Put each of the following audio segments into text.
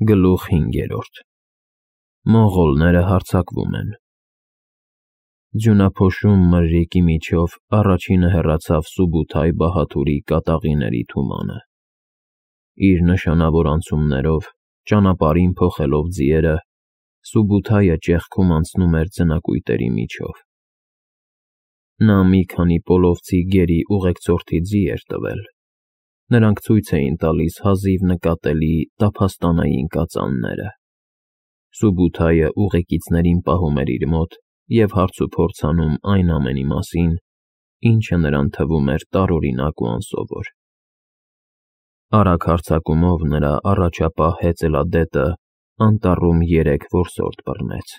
Գլուխ 5. Մոնղոլները հարձակվում են։ Ձյունափոշում մրրիկի միջով առաջինը հեռացավ Սուբութայ Բահաթուրի կատաղիների թումանը։ Իր նշանավոր անցումներով, ճանապարհին փոխելով ձիերը, Սուբութայը ճեղքում անցնում էր ձնակույտերի միջով։ Նա մի քանի պոլովցի գերի ուղեկցորդի ձի էր տվել։ Նրանք ցույց էին տալիս հազիվ նկատելի տափաստանային կածանները։ Սուբութայը ուղեկիցներին պահում էր իր մոտ և հարցուփորձ անում այն ամենի մասին, ինչը նրան թվում էր տարօրինակ ու անսովոր։ Արագ հարձակումով նրա առաջապահ հեծելադետը անտառում 3 որսորդ բռնեց։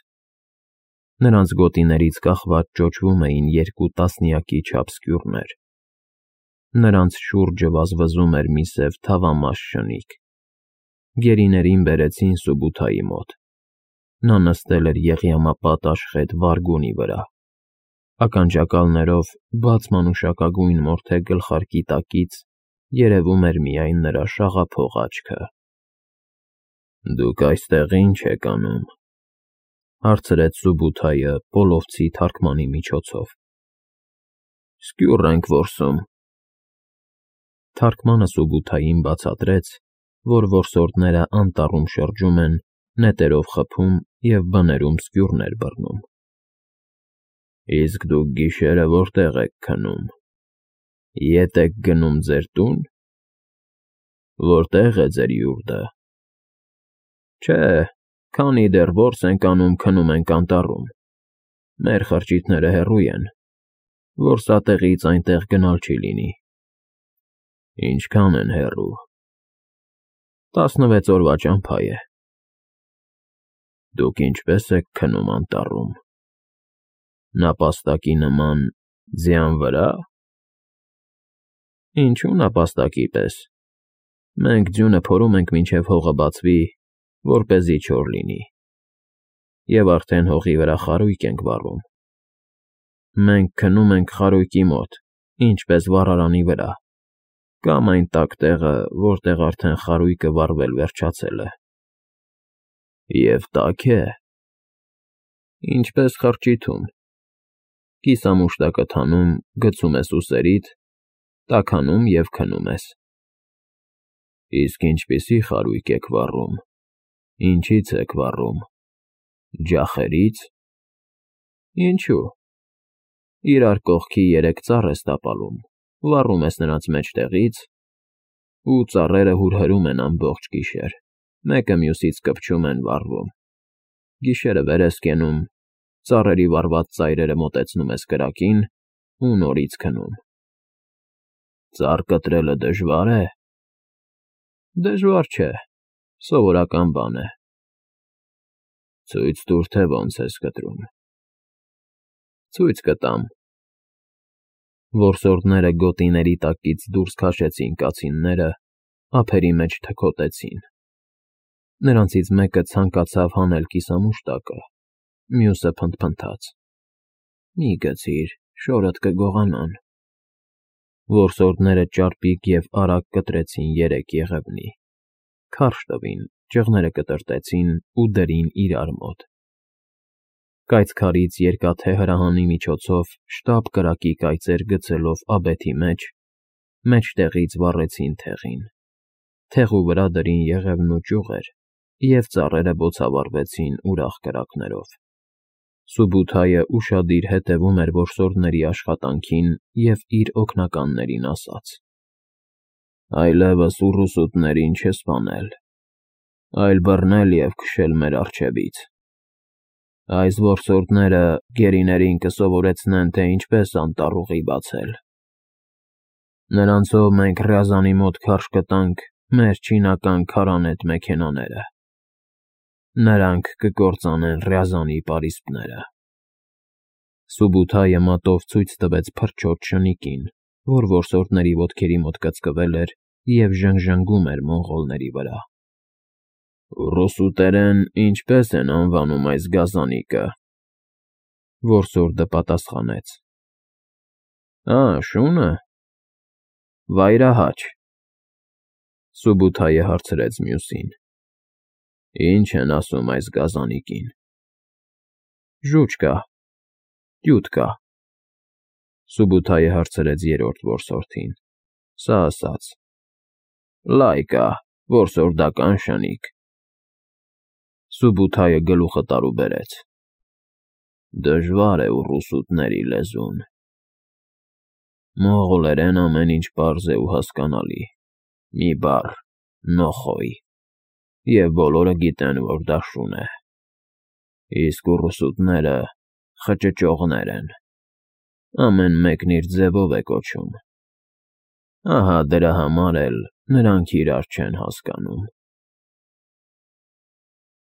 Նրանց գոտիներից կախված ճոճվում էին 2 տասնյակի չափ սկյուրներ։ Նրանց շուրջը վազվզում էր մի սև թավամաս շնիկ։ Գերիներին բերեցին Սուբութայի մոտ։ Նա նստել էր եղյամապատ աշխետ վարգոնի վրա։ Ականջակալներով բաց մանուշակագույն մորթե գլխարկի տակից երևում էր միայն նրա շաղափող աչքը։ «Դուք այստեղ ի՞նչ եք անում», հարցրեց Սուբութայը պոլովցի թարգմանի միջոցով։ «Սկյուռ ենք որսում»։ Թարգմանը Սուբութային բացատրեց, որ որսորդները անտառում շրջում են, նետերով խփում և բներում սկյուրներ բռնում։ «Իսկ դուք գիշերը որտե՞ղ եք քնում։ Ետ եք գնում ձեր տո՞ւն։ Որտե՞ղ է ձեր յուրտը։ Չէ, քանի դեռ որս ենք անում, քնում ենք անտառում։ Մեր խրճիթները հեռու են, որսատեղից այնտեղ գնալ չի լինի։ Ինչքան են հեռու։ 16 օրվա ճամփա է։ Դուք ինչպե՞ս եք քնում անտառում։ Նապաստակի նման ձյան վրա։ Ինչու նապաստակի պես։ Մենք ձյունը փորում ենք մինչև հողը բացվի, որպեսզի չոր լինի, և արդեն հողի վրա խարույկ ենք վառում։ Մենք քնում ենք խարույկի մոտ, ինչպես վառարանի վրա, կամ այն տաք տեղը, որտեղ արդեն խարույկը վառվել վերջացել է։ Եվ տաք է։ Ինչպես խրճիթում։ Կիսամուշտակդ հանում, գցում ես ուսերիդ, տաքանում և քնում ես։ Իսկ ինչպիսի խարույկ եք վառում։ Ինչից եք վառում։ Ջախերից։ Ինչու։ Իրար կողքի 3 ծառ ես տապալում, վառում ես նրանց մեջտեղից, ու ծառերը հուրհրում են ամբողջ գիշեր, մեկը մյուսից կպչում են, վառվում։ Գիշերը վեր ես կենում, ծառերի վառված ծայրերը մոտեցնում ես կրակին ու նորից քնում։ Ծառ կտրելը դժվա՞ր է։ Դժվար չէ, սովորական բան է։ Ցույց տուր, թե ոնց ես կտրում։ Ցույց կտամ։ Որսորդները գոտիների տակից դուրս քաշեցին կացինները, ափերի մեջ թքոտեցին։ Նրանցից մեկը ցանկացավ հանել կիսամուշտակը, մյուսը փնթփնթաց. Մի գցիր, շորդ կգողանան։ Որսորդները ճարպիկ և արագ կտրեցին 3 եղևնի, քարշ տվին, ճղները կտրտեցին ու դրին իրար մոտ։ Կայծքարից երկաթե հրահանի միջոցով շտապ կրակի կայծեր գցելով աբեթի մեջ, մեջտեղից վառեցին թեղին, թեղու վրա դրին եղևն ու ճյուղեր, և ծառերը բոցավառվեցին ուրախ կրակներով։ Սուբութայը ուշադիր հետևում էր որսորդների աշխատանքին և իր օգնականներին ասաց. Այլևս ուռուսուտներին չսպանել, այլ բռնել և քշել մեր առջևից։ Այս որսորդները գերիներին կսովորեցնեն, թե ինչպես անտառ ուղի բացել։ Նրանցով մենք Ռյազանի մոտ քարշ կտանք մեր չինական քարանետ մեքենաները։ Նրանք կկործանեն Ռյազանի պարիսպները։ Սուբութայը մատով ցույց տվեց փրչոտ շնիկին, որ որսորդների ոտքերի մոտ կծկվել էր և ժնգժնգում էր մոնղոլների վրա։ Ռուսուտերեն ինչպե՞ս են անվանում այս գազանիկը։ Որսորդը պատասխանեց. Շունը։ Վայրահաչ։ Սուբութայը հարցրեց մյուսին. Ինչ են ասում այս գազանիկին։ Ժուճ կա, տյուտ կա, Սուբութայը հարցրեց երրորդ որսորդին, սա ասաց. Լայ կա, որսորդական շնիկ։ Սուբութայը գլուխը տարուբերեց. Դժվար է ուռուսուտների լեզուն։ Մողոլերեն ամեն ինչ պարզ է ու հասկանալի, մի բառ՝ նոխոյ, և բոլորը գիտեն, որ դա շուն է, իսկ ուռուսուտները խճճողներ են, ամեն մեկն իր ձևով է կոչում, ահա դրա համար էլ նրանք իրար չեն հասկանում։